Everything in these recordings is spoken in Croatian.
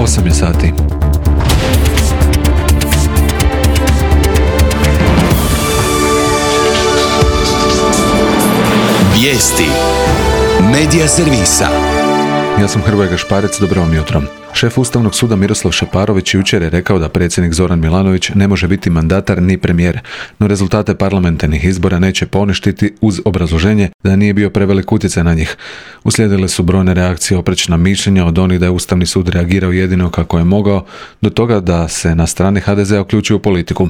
8 je sati. Vijesti Medija servisa. Ja sam Hrvoje Gašparec, dobro vam jutro. Šef Ustavnog suda Miroslav Šeparović jučer je rekao da predsjednik Zoran Milanović ne može biti mandatar ni premijer, no rezultate parlamentarnih izbora neće poništiti uz obrazloženje da nije bio prevelik utjecaj na njih. Uslijedile su brojne reakcije, oprečna mišljenja od onih da je Ustavni sud reagirao jedino kako je mogao, do toga da se na strani HDZ-a uključio u politiku.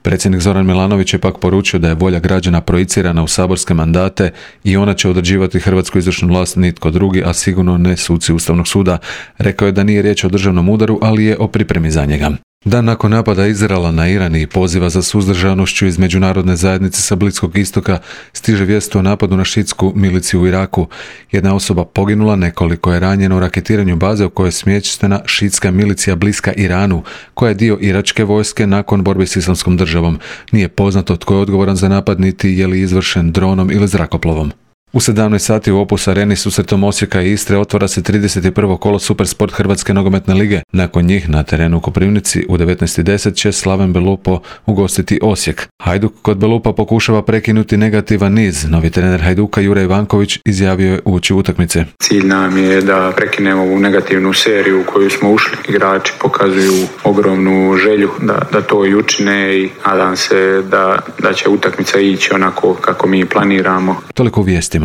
Predsjednik Zoran Milanović je pak poručio da je volja građana projicirana u saborske mandate i ona će određivati hrvatsku izvršnu vlast, nitko drugi, a sigurno ne suci Ustavnog suda. Rekao je da nije riječ o državnom udaru, ali je o pripremi za njega. Dan nakon napada Izraela na Iran i poziva za suzdržanošću iz međunarodne zajednice sa Bliskog istoka stiže vijest o napadu na šiitsku miliciju u Iraku. Jedna osoba poginula, nekoliko je ranjeno u raketiranju baze u kojoj je smještena šiitska milicija bliska Iranu, koja je dio iračke vojske nakon borbe s Islamskom državom. Nije poznato tko je odgovoran za napad, niti je li izvršen dronom ili zrakoplovom. U 17 sati u Opus Areni susretom Osijeka i Istre otvara se 31. kolo Supersport Hrvatske nogometne lige. Nakon njih na terenu u Koprivnici u 19:10 će Slaven Belupo ugostiti Osijek. Hajduk kod Belupa pokušava prekinuti negativan niz. Novi trener Hajduka Jure Ivanković izjavio je uoči utakmice. Cilj nam je da prekinemo ovu negativnu seriju u koju smo ušli. Igrači pokazuju ogromnu želju da to i učine i nadam se da će utakmica ići onako kako mi planiramo. Toliko u vijestima.